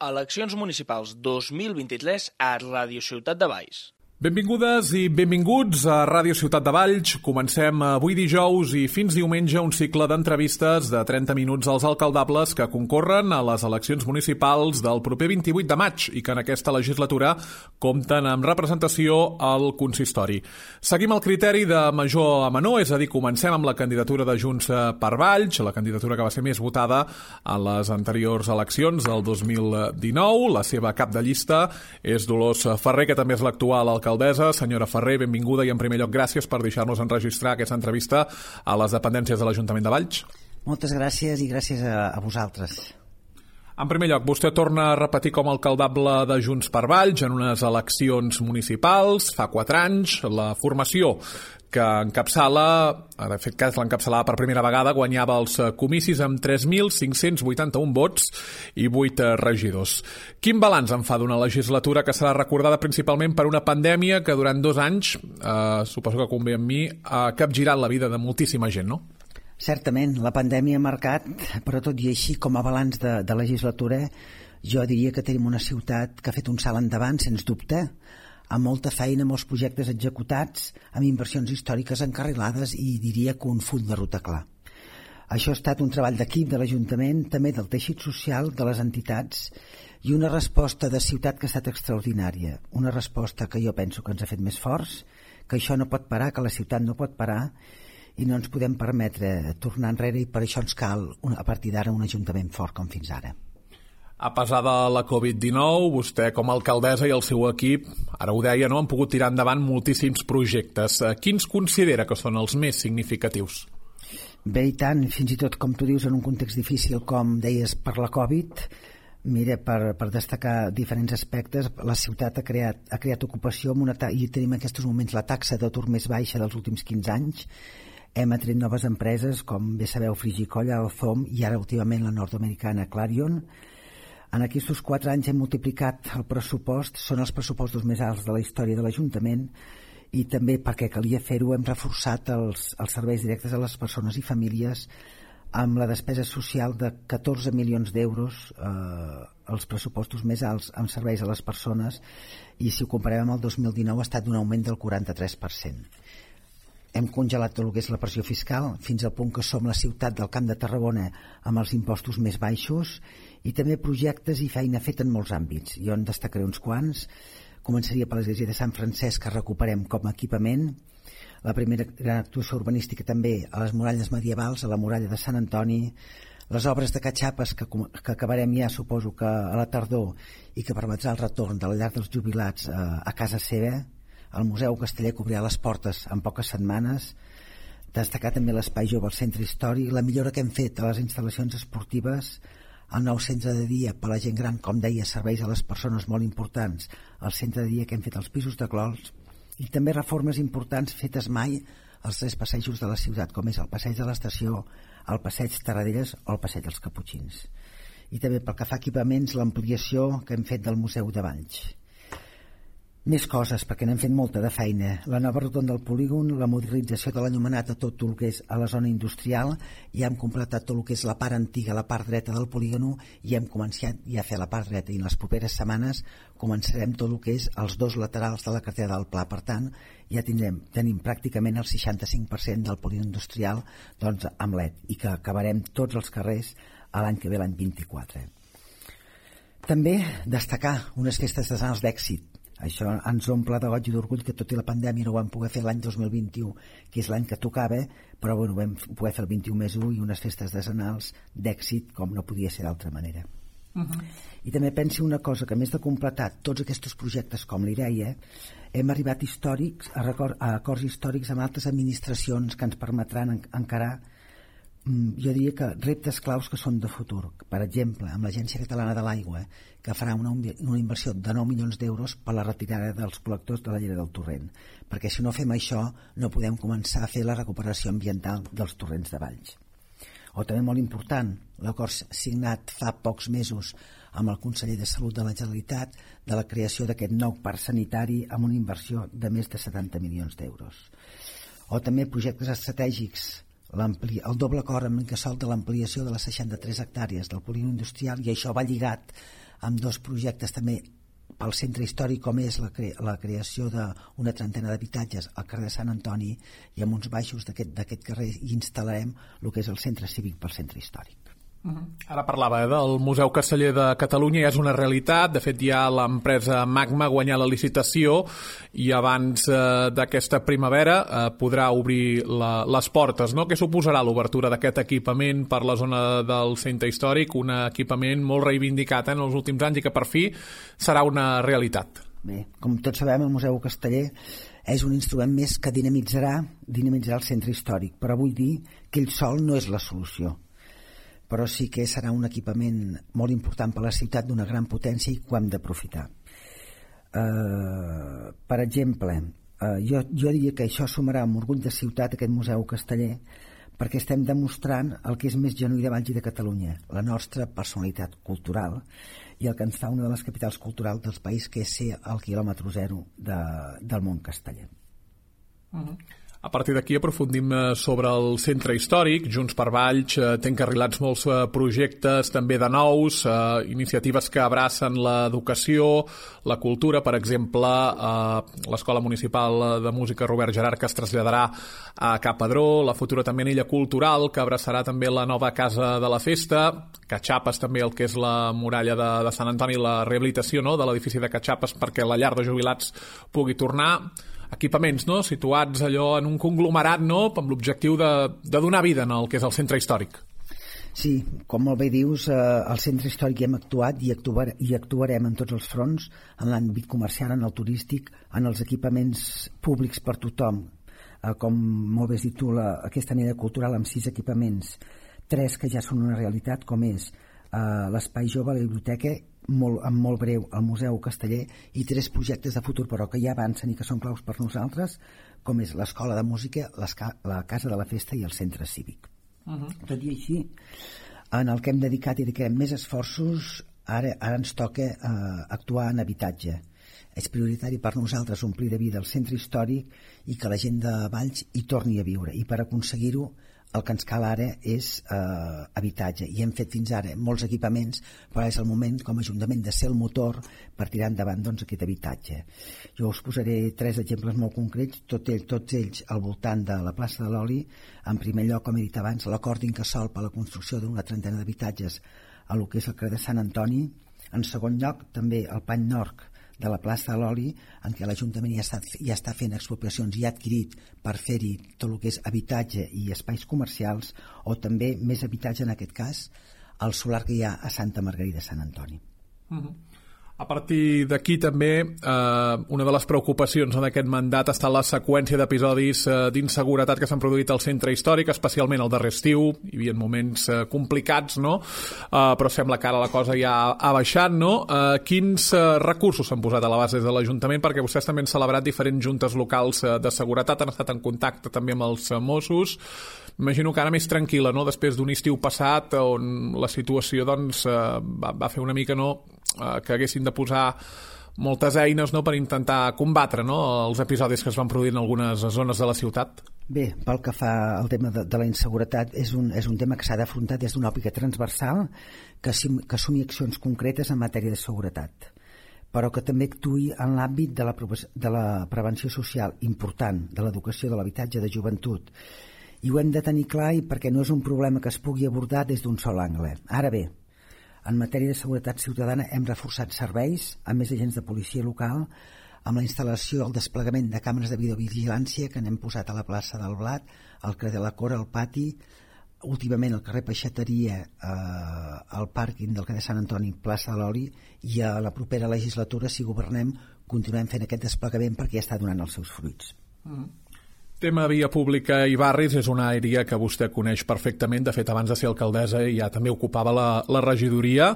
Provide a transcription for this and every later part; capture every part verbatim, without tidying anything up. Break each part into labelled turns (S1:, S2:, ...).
S1: Eleccions municipals dos mil vint-i-tres a Ràdio Ciutat de Valls.
S2: Benvingudes i benvinguts a Ràdio Ciutat de Valls. Comencem avui dijous i fins diumenge un cicle d'entrevistes de trenta minuts als alcaldables que concorren a les eleccions municipals del proper vint-i-vuit de maig i que en aquesta legislatura compten amb representació al consistori. Seguim el criteri de major a menor, és a dir, comencem amb la candidatura de Junts per Valls, la candidatura que va ser més votada a les anteriors eleccions del dos mil dinou. La seva cap de llista és Dolors Ferrer, que també és l'actual alcaldessa. Alcaldessa. Senyora Ferrer, benvinguda i en primer lloc gràcies per deixar-nos enregistrar aquesta entrevista a les dependències de l'Ajuntament de Valls.
S3: Moltes gràcies i gràcies a, a vosaltres.
S2: En primer lloc, vostè torna a repetir com a alcaldable de Junts per Valls en unes eleccions municipals fa quatre anys. La formació que encapçala, de fet que l'encapçalava per primera vegada, guanyava els comicis amb tres mil cinc-cents vuitanta-un vots i vuit regidors. Quin balanç en fa d'una legislatura que serà recordada principalment per una pandèmia que durant dos anys, eh, suposo que convé amb mi, ha capgirat la vida de moltíssima gent, no?
S3: Certament, la pandèmia ha marcat, però tot i així, com a balanç de, de legislatura, jo diria que tenim una ciutat que ha fet un salt endavant, sens dubte, amb molta feina, molts projectes executats, amb inversions històriques encarrilades i diria que un full de ruta clar. Això ha estat un treball d'equip de l'Ajuntament, també del teixit social, de les entitats, i una resposta de ciutat que ha estat extraordinària. Una resposta que jo penso que ens ha fet més forts, que això no pot parar, que la ciutat no pot parar, i no ens podem permetre tornar enrere, i per això ens cal, a partir d'ara, un Ajuntament fort com fins ara.
S2: A pesar de la covid dinou, vostè com a alcaldessa i el seu equip, ara ho deia, no, han pogut tirar endavant moltíssims projectes. Quins considera que són els més significatius?
S3: Bé, i tant, fins i tot, com tu dius, en un context difícil, com deies, per la Covid, mira, per, per destacar diferents aspectes, la ciutat ha creat, ha creat ocupació amb una ta- i tenim en aquests moments la taxa d'atur més baixa dels últims quinze anys. Hem atret noves empreses, com bé sabeu, Frigicolla, Alzom i ara últimament la nord-americana Clarion. En aquests quatre anys hem multiplicat el pressupost, són els pressupostos més alts de la història de l'Ajuntament, i també perquè calia fer-ho hem reforçat els, els serveis directes a les persones i famílies amb la despesa social de catorze milions d'euros, eh, els pressupostos més alts amb serveis a les persones, i si ho comparem amb el dos mil dinou ha estat un augment del quaranta-tres per cent. Hem congelat tot el que és la pressió fiscal fins al punt que som la ciutat del Camp de Tarragona amb els impostos més baixos, i també projectes i feina feta en molts àmbits. Jo en destacaré uns quants. Començaria per l'església de Sant Francesc, que recuperem com a equipament. La primera gran actuació urbanística també a les muralles medievals, a la muralla de Sant Antoni, les obres de catxapes que, que acabarem ja, suposo que a la tardor, i que permetrà el retorn de la llar dels jubilats a, a casa seva. El Museu Casteller que obrirà les portes en poques setmanes. Destacar també l'espai jove al centre històric, la millora que hem fet a les instal·lacions esportives, el nou centre de dia per a la gent gran, com deia, serveis a les persones molt importants, el centre de dia que hem fet als pisos de Clols, i també reformes importants fetes mai als tres passejos de la ciutat, com és el passeig de l'estació, el passeig Terradellas o el passeig dels Caputxins. I també pel que fa a equipaments, l'ampliació que hem fet del Museu de Valls. Més coses, perquè n'hem fet molta de feina. La nova rotonda del polígon, la modernització de l'enllumenat a tot el que és a la zona industrial, i hem completat tot el que és la part antiga, la part dreta del polígon, i hem començat ja a fer la part dreta, i en les properes setmanes començarem tot el que és els dos laterals de la carretera del Pla. Per tant, ja tindrem, tenim pràcticament el seixanta-cinc per cent del polígon industrial, doncs, amb L E D, i que acabarem tots els carrers a l'any que ve, l'any vint-i-quatre. També destacar unes festes artesanals d'èxit. Això ens omple de goig i d'orgull, que tot i la pandèmia no ho vam poder fer l'any dos mil vint-i-u, que és l'any que tocava, però bueno, vam poder fer el vint-i-u més u i unes festes artesanals d'èxit com no podia ser d'altra manera. Uh-huh. I també pensi una cosa, que a més de completar tots aquests projectes com li deia, hem arribat històrics a, record, a acords històrics amb altres administracions que ens permetran en, encarar, jo diria que reptes claus que són de futur. Per exemple, amb l'Agència Catalana de l'Aigua, que farà una, una inversió de nou milions d'euros per la retirada dels col·lectors de la llera del torrent, perquè si no fem això no podem començar a fer la recuperació ambiental dels torrents de Valls. O també molt important, l'acord signat fa pocs mesos amb el conseller de Salut de la Generalitat de la creació d'aquest nou parc sanitari amb una inversió de més de setanta milions d'euros. O també projectes estratègics, el doble acord amb l'Incasòl de l'ampliació de les seixanta-tres hectàrees del polígon industrial, i això va lligat amb dos projectes també pel centre històric, com és la, cre la creació d'una trentena d'habitatges al carrer de Sant Antoni, i amb uns baixos d'aquest carrer hi instal·larem el que és el centre cívic pel centre històric.
S2: Ara parlava eh, del Museu Casteller de Catalunya, ja és una realitat. De fet, ja l'empresa Magma ha guanyat la licitació i abans eh, d'aquesta primavera eh, podrà obrir la, les portes, no? Què suposarà l'obertura d'aquest equipament per la zona del centre històric? Un equipament molt reivindicat eh, en els últims anys i que per fi serà una realitat.
S3: Bé, com tots sabem, el Museu Casteller és un instrument més que dinamitzarà, dinamitzarà el centre històric, però vull dir que ell sol no és la solució. Però sí que serà un equipament molt important per a la ciutat, d'una gran potència, i que ho hem d'aprofitar. Uh, per exemple, uh, jo, jo diria que això sumarà amb orgull de ciutat aquest Museu Casteller, perquè estem demostrant el que és més genuí de Valls i de Catalunya, la nostra personalitat cultural, i el que ens fa una de les capitals culturals del país, que és ser el quilòmetre zero de, del món casteller.
S2: Uh-huh. A partir d'aquí aprofundim sobre el centre històric. Junts per Valls té encarrilats molts projectes també de nous, eh, iniciatives que abracen l'educació, la cultura, per exemple, eh, l'Escola Municipal de Música Robert Gerard, que es traslladarà a Cap Pedró, la futura també Illa Cultural, que abraçarà també la nova Casa de la Festa, Catxapes també el que és la muralla de, de Sant Antoni, la rehabilitació, no?, de l'edifici de Catxapes perquè la llar de jubilats pugui tornar. Equipaments, no?, situats allò en un conglomerat, no?, amb l'objectiu de, de donar vida en el que és el centre històric.
S3: Sí, com molt bé dius, eh, al centre històric hi hem actuat i, actuar, i actuarem en tots els fronts, en l'àmbit comercial, en el turístic, en els equipaments públics per tothom. Eh, com molt bé has dit tu, la, aquesta anella cultural amb sis equipaments, tres que ja són una realitat, com és eh, l'Espai Jove, la biblioteca, molt, en molt breu el Museu Casteller, i tres projectes de futur però que ja avancen i que són claus per nosaltres, com és l'Escola de Música, la Casa de la Festa i el Centre Cívic. Uh-huh. Tot i així, en el que hem dedicat i dedicarem més esforços, ara, ara ens toca eh, actuar en habitatge. És prioritari per nosaltres omplir de vida el centre històric i que la gent de Valls hi torni a viure, i per aconseguir-ho el que ens cal ara és eh, habitatge, i hem fet fins ara molts equipaments, però és el moment com a Ajuntament de ser el motor per tirar endavant doncs, aquest habitatge. Jo us posaré tres exemples molt concrets, tot ell, tots ells al voltant de la plaça de l'Oli. En primer lloc, com he dit abans, l'acord d'Incasòl per a la construcció d'una trentena d'habitatges a lo que és el carrer de Sant Antoni. En segon lloc, també el Pany Nord de la plaça de l'Oli, en què l'Ajuntament ja està, ja està fent expropiacions i ha adquirit per fer-hi tot el que és habitatge i espais comercials, o també més habitatge, en aquest cas, el solar que hi ha a Santa Margarida de Sant Antoni.
S2: Uh-huh. A partir d'aquí també eh, una de les preocupacions d'aquest mandat està la seqüència d'episodis eh, d'inseguretat que s'han produït al centre històric, especialment el darrer estiu. Hi havia moments eh, complicats, no? Eh, però sembla que ara la cosa ja ha baixat, no? Eh, quins eh, recursos s'han posat a la base de l'Ajuntament? Perquè vostès també han celebrat diferents juntes locals eh, de seguretat, han estat en contacte també amb els eh, Mossos. Imagino que ara més tranquil·la, no?, després d'un estiu passat on la situació doncs, eh, va, va fer una mica, no?, eh, que haguessin de posar moltes eines, no?, per intentar combatre, no?, els episodis que es van produir en algunes zones de la ciutat.
S3: Bé, pel que fa al tema de, de la inseguretat, és un, és un tema que s'ha d'afrontar des d'una òptica transversal, que, que assumi accions concretes en matèria de seguretat, però que també actuï en l'àmbit de la, de la prevenció social important, de l'educació, de l'habitatge, de joventut. I ho hem de tenir clar, i perquè no és un problema que es pugui abordar des d'un sol angle. Ara bé, en matèria de seguretat ciutadana hem reforçat serveis amb més agents de policia local, amb la instal·lació i el desplegament de càmeres de videovigilància que n'hem posat a la plaça del Blat, al carrer de la Cora, al pati, últimament al carrer Peixateria, eh, al pàrquing del carrer Sant Antoni, plaça de l'Oli, i a la propera legislatura, si governem, continuem fent aquest desplegament perquè ja està donant els seus fruits.
S2: Mm. Tema via pública i barris és una àrea que vostè coneix perfectament. De fet, abans de ser alcaldessa ja també ocupava la, la regidoria.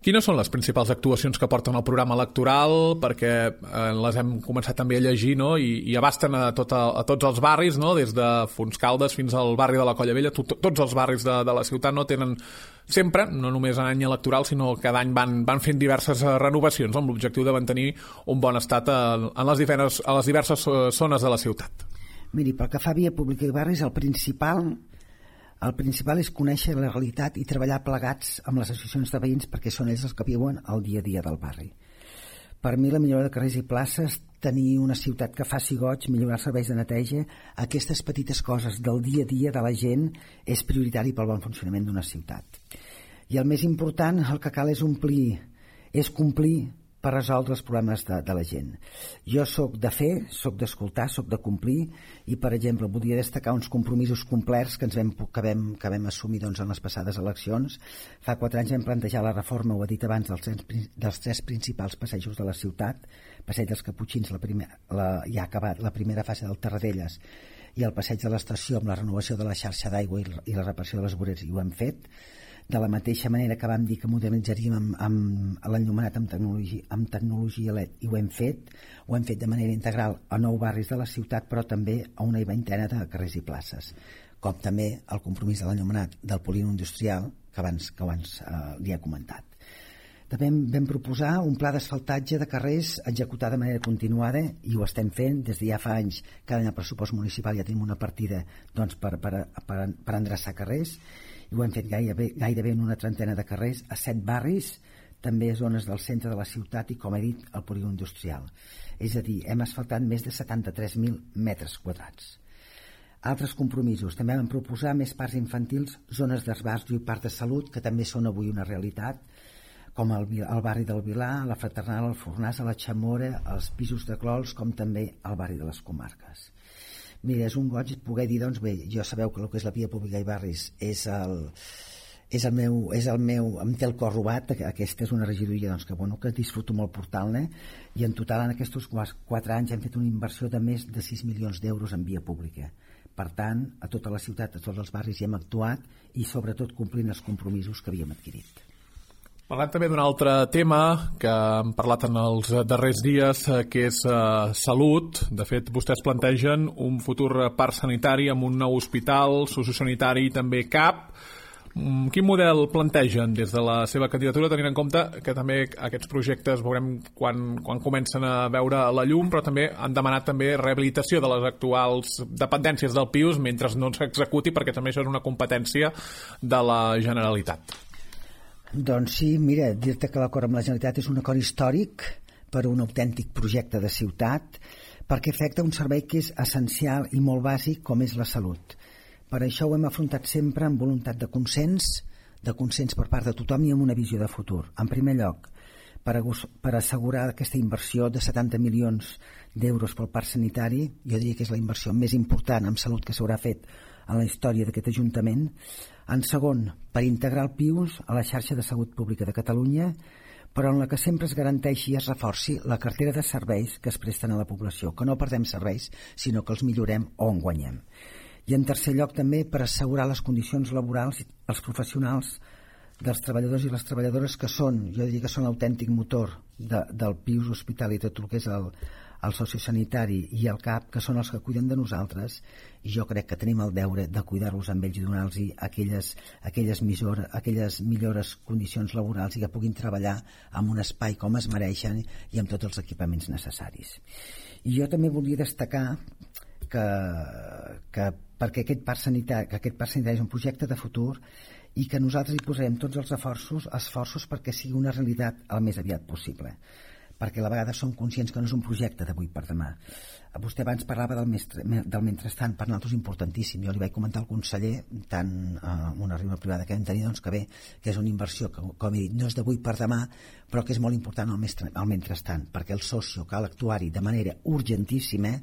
S2: Quines són les principals actuacions que porten al programa electoral? Perquè eh, les hem començat també a llegir, no?, i, i abasten a, tot a, a tots els barris, no?, des de Fontscaldes fins al barri de la Colla Vella. Tot, tots els barris de, de la ciutat no tenen sempre, no només en any electoral, sinó que cada any van, van fent diverses renovacions amb l'objectiu de mantenir un bon estat a, a, les diverses, a les diverses zones de la ciutat.
S3: Miri, pel que fa a via pública i barris, el principal El principal és conèixer la realitat i treballar plegats amb les associacions de veïns perquè són ells els que viuen el dia a dia del barri. Per mi la millora de carrers i places, tenir una ciutat que faci goig, millorar els serveis de neteja, aquestes petites coses del dia a dia de la gent és prioritari pel bon funcionament d'una ciutat. I el més important, el que cal és omplir, és complir per resoldre els problemes de, de la gent. Jo sóc de fer, sóc d'escoltar, sóc de complir i, per exemple, voldria destacar uns compromisos complerts que ens vam, que vam, que vam assumir doncs, en les passades eleccions. Fa quatre anys vam plantejar la reforma, ho he dit abans, dels, dels tres principals passejos de la ciutat, Passeig dels Caputxins, la primer, la, ja ha acabat la primera fase del Terradelles i el Passeig de l'Estació amb la renovació de la xarxa d'aigua i, i la reparació de les voreres, i ho hem fet. De la mateixa manera que vam dir que modernitzaríem amb, amb l'enllumenat amb tecnologia, amb tecnologia L E D, i ho hem fet, ho hem fet de manera integral a nou barris de la ciutat, però també a una vintena de carrers i places, com també el compromís de l'enllumenat del polígon industrial, que abans, que abans eh, li he comentat. També vam proposar un pla d'asfaltatge de carrers executat de manera continuada, i ho estem fent des de ja fa anys. Cada any al pressupost municipal ja tenim una partida doncs, per, per, per, per endreçar carrers, i ho hem fet gairebé, gairebé en una trentena de carrers a set barris, també a zones del centre de la ciutat i, com he dit, al polígon industrial. És a dir, hem asfaltat més de setanta-tres mil metres quadrats. Altres compromisos. També vam proposar més parcs infantils, zones d'esbarjo i parcs de salut, que també són avui una realitat, com el, el barri del Vilar, la Fraternal, el Fornàs, la Chamora, els pisos de Clols, com també el barri de les Comarques. Mira, és un goig poder dir, doncs bé, jo sabeu que el que és la via pública i barris és el, és el meu, és el meu, em té el cor robat, aquesta és una regidoria doncs, que, bueno, que disfruto molt portant-ne, i en total en aquests quatre anys hem fet una inversió de més de sis milions d'euros en via pública. Per tant, a tota la ciutat, a tots els barris hi hem actuat i sobretot complint els compromisos que havíem adquirit.
S2: Parlant també d'un altre tema que hem parlat en els darrers dies, que és uh, salut. De fet, vostès plantegen un futur parc sanitari amb un nou hospital sociosanitari i també C A P. Quin model plantegen des de la seva candidatura, tenint en compte que també aquests projectes veurem quan, quan comencen a veure la llum, però també han demanat també rehabilitació de les actuals dependències del P I U S mentre no s'executi, perquè també això és una competència de la Generalitat.
S3: Doncs sí, mira, dir-te que l'acord amb la Generalitat és un acord històric per un autèntic projecte de ciutat, perquè afecta un servei que és essencial i molt bàsic com és la salut. Per això ho hem afrontat sempre amb voluntat de consens, de consens per part de tothom i amb una visió de futur. En primer lloc, per, per assegurar aquesta inversió de setanta milions d'euros pel parc sanitari, jo diria que és la inversió més important en salut que s'haurà fet en la història d'aquest Ajuntament. En segon, per integrar el P I U S a la xarxa de salut pública de Catalunya, però en la que sempre es garanteixi i es reforci la cartera de serveis que es presten a la població, que no perdem serveis, sinó que els millorem o en guanyem. I en tercer lloc també per assegurar les condicions laborals als professionals dels treballadors i les treballadores que són, jo diria que són l'autèntic motor de, del P I U S Hospital i tot el que és el, el sociosanitari i el C A P, que són els que cuiden de nosaltres, i jo crec que tenim el deure de cuidar-los amb ells i donar-los aquelles, aquelles, millor, aquelles millores condicions laborals i que puguin treballar en un espai com es mereixen i amb tots els equipaments necessaris. I jo també volia destacar que, que perquè aquest parc sanitari, que aquest parc sanitari és un projecte de futur i que nosaltres hi posarem tots els esforços, esforços perquè sigui una realitat el més aviat possible, perquè a la vegada som conscients que no és un projecte d'avui per demà. Vostè abans parlava del, mestre, del mentrestant, per nosaltres importantíssim. Jo li vaig comentar al conseller, tant eh, una reunió privada que vam tenir, doncs que bé, que és una inversió que, com he dit, no és d'avui per demà, però que és molt important el, mestre, el mentrestant, perquè el socio cal actuar-hi de manera urgentíssima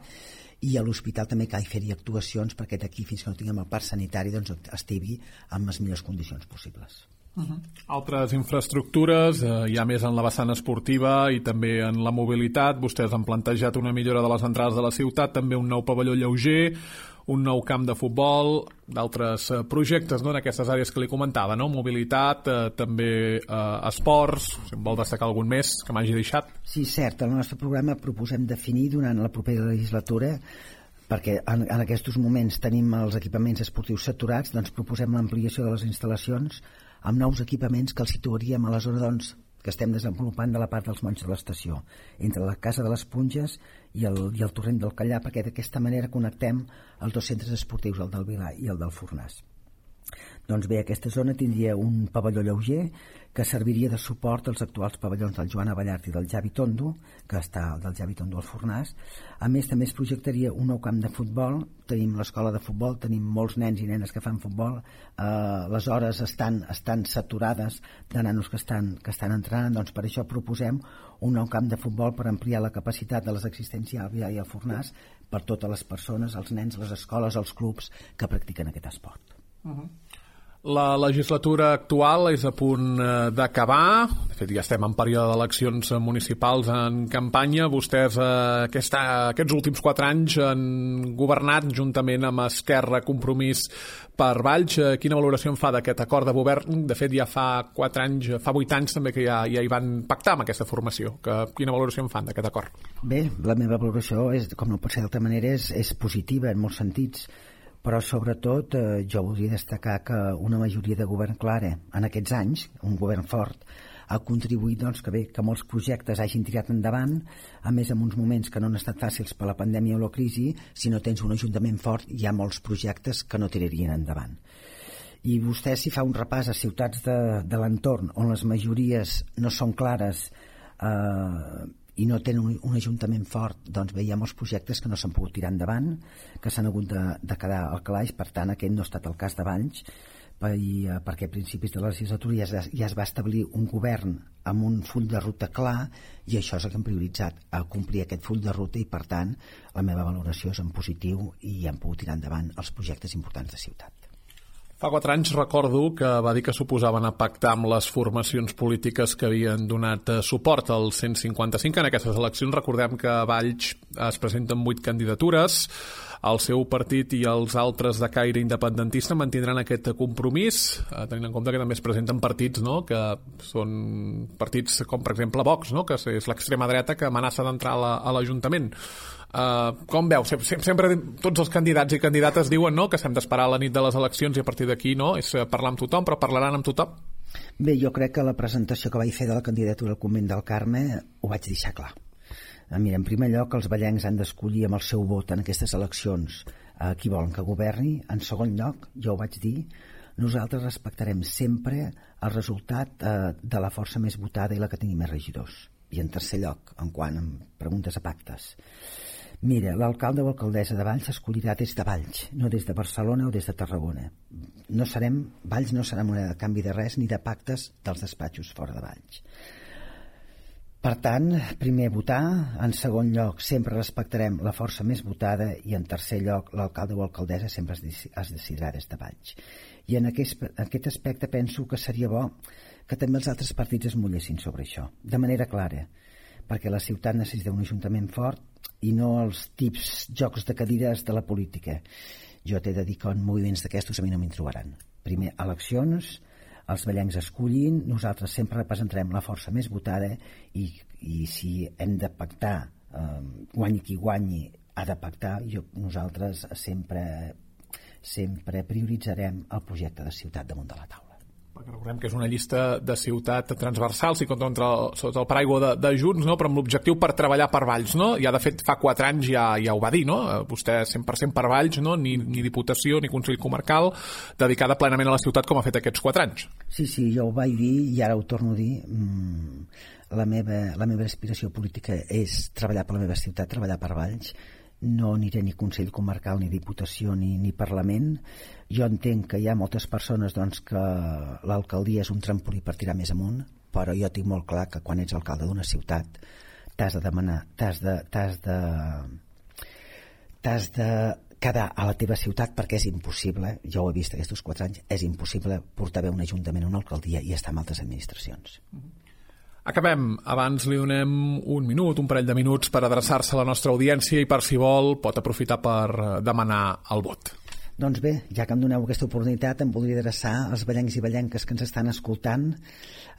S3: i a l'hospital també cal fer-hi actuacions perquè d'aquí fins que no tinguem el parc sanitari doncs estigui en les millors condicions possibles.
S2: Uh-huh. Altres infraestructures, eh, hi ha més en la vessant esportiva i també en la mobilitat. Vostès han plantejat una millora de les entrades de la ciutat, també un nou pavelló lleuger, un nou camp de futbol, d'altres eh, projectes, no?, en aquestes àrees que li comentava, no? Mobilitat, eh, també eh, esports, si em vol destacar algun més que m'hagi deixat.
S3: Sí, cert, el nostre programa proposem definir durant la propera legislatura, perquè en, en aquests moments tenim els equipaments esportius saturats, doncs proposem l'ampliació de les instal·lacions amb nous equipaments que els situaríem a la zona doncs, que estem desenvolupant de la part dels Monys de l'Estació, entre la Casa de les Punges i el, i el Torrent del Callà, perquè d'aquesta manera connectem els dos centres esportius, el del Vilar i el del Fornàs. Doncs bé, aquesta zona tindria un pavelló lleuger que serviria de suport als actuals pavellons del Joan Abellart i del Javi Tondo, que està del Javi Tondo al Fornàs. A més, també es projectaria un nou camp de futbol. Tenim l'escola de futbol, tenim molts nens i nenes que fan futbol. Eh, les hores estan, estan saturades de nanos que estan, que estan entrenant. Doncs per això proposem un nou camp de futbol per ampliar la capacitat de les existències al Vià i al Fornàs per totes les persones, els nens, les escoles, els clubs que practiquen aquest esport.
S2: Uh-huh. La legislatura actual és a punt d'acabar. De fet, ja estem en període d'eleccions municipals en campanya. Vostès eh, aquesta, aquests últims quatre anys han governat juntament amb Esquerra, Compromís per Valls. Quina valoració en fa d'aquest acord de govern? De fet, ja fa quatre anys, fa vuit anys també que ja, ja hi van pactar amb aquesta formació. Que, quina valoració en fan d'aquest acord?
S3: Bé, la meva valoració, és, com no pot ser d'altra manera, és, és positiva en molts sentits. Però sobretot eh, jo voldria destacar que una majoria de govern clara en aquests anys, un govern fort, ha contribuït doncs, que bé que molts projectes hagin tirat endavant, a més en uns moments que no han estat fàcils per la pandèmia o la crisi. Si no tens un ajuntament fort, hi ha molts projectes que no tirarien endavant. I vostè, si fa un repàs a ciutats de, de l'entorn on les majories no són clares eh, i no tenen un, un ajuntament fort, doncs bé, hi ha molts projectes que no s'han pogut tirar endavant, que s'han hagut de, de quedar al calaix. Per tant, aquest no ha estat el cas de Valls, per, i, perquè a principis de la legislatura ja es, ja es va establir un govern amb un full de ruta clar, i això és el que hem prioritzat, a complir aquest full de ruta, i per tant la meva valoració és en positiu i hem pogut tirar endavant els projectes importants de ciutat.
S2: Fa quatre anys recordo que va dir que suposaven a pactar amb les formacions polítiques que havien donat suport al cent cinquanta-cinc. En aquestes eleccions recordem que a Valls es presenten vuit candidatures. El seu partit i els altres de caire independentista mantindran aquest compromís, tenint en compte que també es presenten partits, no?, que són partits com, per exemple, Vox, no?, que és l'extrema dreta que amenaça d'entrar a l'Ajuntament. Uh, com veu? Sempre, sempre tots els candidats i candidates diuen, no?, que s'hem d'esperar a la nit de les eleccions i a partir d'aquí, no?, és parlar amb tothom, però parlaran amb tothom?
S3: Bé, jo crec que la presentació que vaig fer de la candidatura al Convent del Carme ho vaig deixar clar. Mira, en primer lloc, els vallencs han d'escollir amb el seu vot en aquestes eleccions a qui volen que governi. En segon lloc, jo ho vaig dir, nosaltres respectarem sempre el resultat eh, de la força més votada i la que tingui més regidors. I en tercer lloc, en quant a preguntes a pactes, mira, l'alcalde o alcaldessa de Valls s'escollirà des de Valls, no des de Barcelona o des de Tarragona. No serem, Valls no serà moneda de canvi de res ni de pactes dels despatxos fora de Valls. Per tant, primer votar, en segon lloc sempre respectarem la força més votada i en tercer lloc l'alcalde o alcaldessa sempre es, es decidirà des de Valls. I en aquest, en aquest aspecte penso que seria bo que també els altres partits es mullessin sobre això, de manera clara, perquè la ciutat necessita un ajuntament fort i no els tips jocs de cadires de la política. Jo t'he de dir que en moviments d'aquestos a mi no m'hi trobaran. Primer, eleccions, els vallencs escollin, nosaltres sempre representarem la força més votada i, i si hem de pactar, eh, guanyi qui guanyi, ha de pactar, jo, nosaltres sempre, sempre prioritzarem el projecte de ciutat damunt de la taula.
S2: Perquè recordem que és una llista de ciutat transversal, sí, contra, sota el paraigua de, de Junts, no?, però amb l'objectiu per treballar per Valls, no? Ja, de fet, fa quatre anys ja, ja ho va dir, no? Vostè cent per cent per Valls, no?, ni, ni Diputació ni Consell Comarcal, dedicada plenament a la ciutat com ha fet aquests quatre anys.
S3: Sí, sí, jo ho vaig dir i ara ho torno a dir. Mm, la meva, la meva aspiració política és treballar per la meva ciutat, treballar per Valls. No aniré ni Consell Comarcal, ni Diputació, ni, ni Parlament. Jo entenc que hi ha moltes persones doncs, que l'alcaldia és un trampolí per tirar més amunt, però jo tinc molt clar que quan ets alcalde d'una ciutat t'has de demanar, t'has de, t'has de, t'has de quedar a la teva ciutat, perquè és impossible, jo ho he vist aquests quatre anys, és impossible portar bé un ajuntament a una alcaldia i estar en altres administracions. Mm-hmm.
S2: Acabem. Abans li donem un minut, un parell de minuts per adreçar-se a la nostra audiència i per si vol pot aprofitar per demanar el vot.
S3: Doncs bé, ja que em doneu aquesta oportunitat, em voldria adreçar als vallencs i vallenques que ens estan escoltant.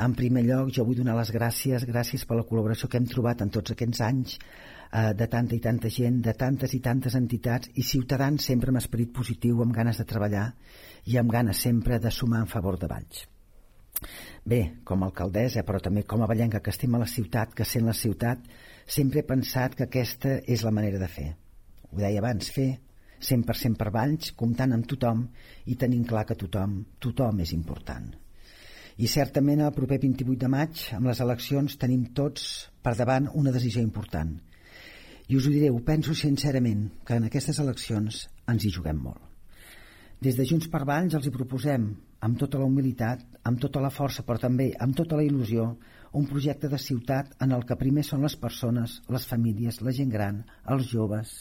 S3: En primer lloc, jo vull donar les gràcies, gràcies per la col·laboració que hem trobat en tots aquests anys eh, de tanta i tanta gent, de tantes i tantes entitats i ciutadans sempre amb esperit positiu, amb ganes de treballar i amb ganes sempre de sumar en favor de Valls. Bé, com a alcaldessa, però també com a vallenca que estima la ciutat, que sent la ciutat, sempre he pensat que aquesta és la manera de fer. Ho deia abans, fer cent per cent per Valls, comptant amb tothom i tenint clar que tothom, tothom és important. I certament el proper vint-i-vuit de maig, amb les eleccions, tenim tots per davant una decisió important. I us ho diré, ho penso sincerament, que en aquestes eleccions ens hi juguem molt. Des de Junts per Valls els hi proposem, amb tota la humilitat, amb tota la força, però també amb tota la il·lusió, un projecte de ciutat en el que primer són les persones, les famílies, la gent gran, els joves.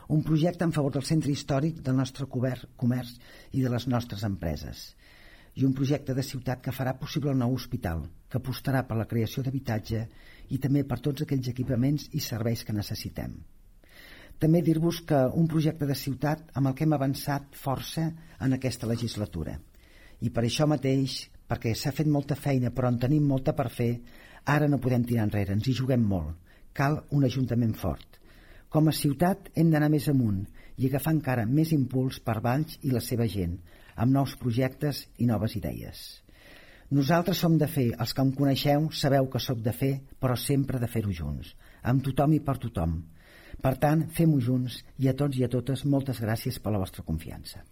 S3: Un projecte en favor del centre històric, del nostre comerç i de les nostres empreses. I un projecte de ciutat que farà possible el nou hospital, que apostarà per la creació d'habitatge i també per tots aquells equipaments i serveis que necessitem. També dir-vos que un projecte de ciutat amb el que hem avançat força en aquesta legislatura. I per això mateix, perquè s'ha fet molta feina però en tenim molta per fer, ara no podem tirar enrere, ens hi juguem molt. Cal un ajuntament fort. Com a ciutat hem d'anar més amunt i agafar encara més impuls per Valls i la seva gent, amb nous projectes i noves idees. Nosaltres som de fer, els que em coneixeu sabeu que sóc de fer, però sempre de fer-ho junts, amb tothom i per tothom. Per tant, fem-ho junts i a tots i a totes moltes gràcies per la vostra confiança.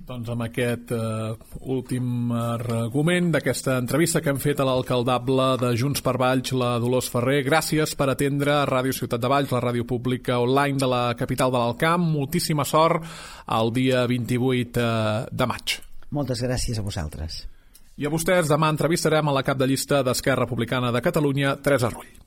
S2: Doncs amb aquest uh, últim argument d'aquesta entrevista que hem fet a l'alcaldable de Junts per Valls, la Dolors Ferrer, gràcies per atendre Ràdio Ciutat de Valls, la ràdio pública online de la capital de l'Alt Camp. Moltíssima sort el dia vint-i-vuit de maig.
S3: Moltes gràcies a vosaltres.
S2: I a vostès, demà entrevistarem a la cap de llista d'Esquerra Republicana de Catalunya, Teresa Rull.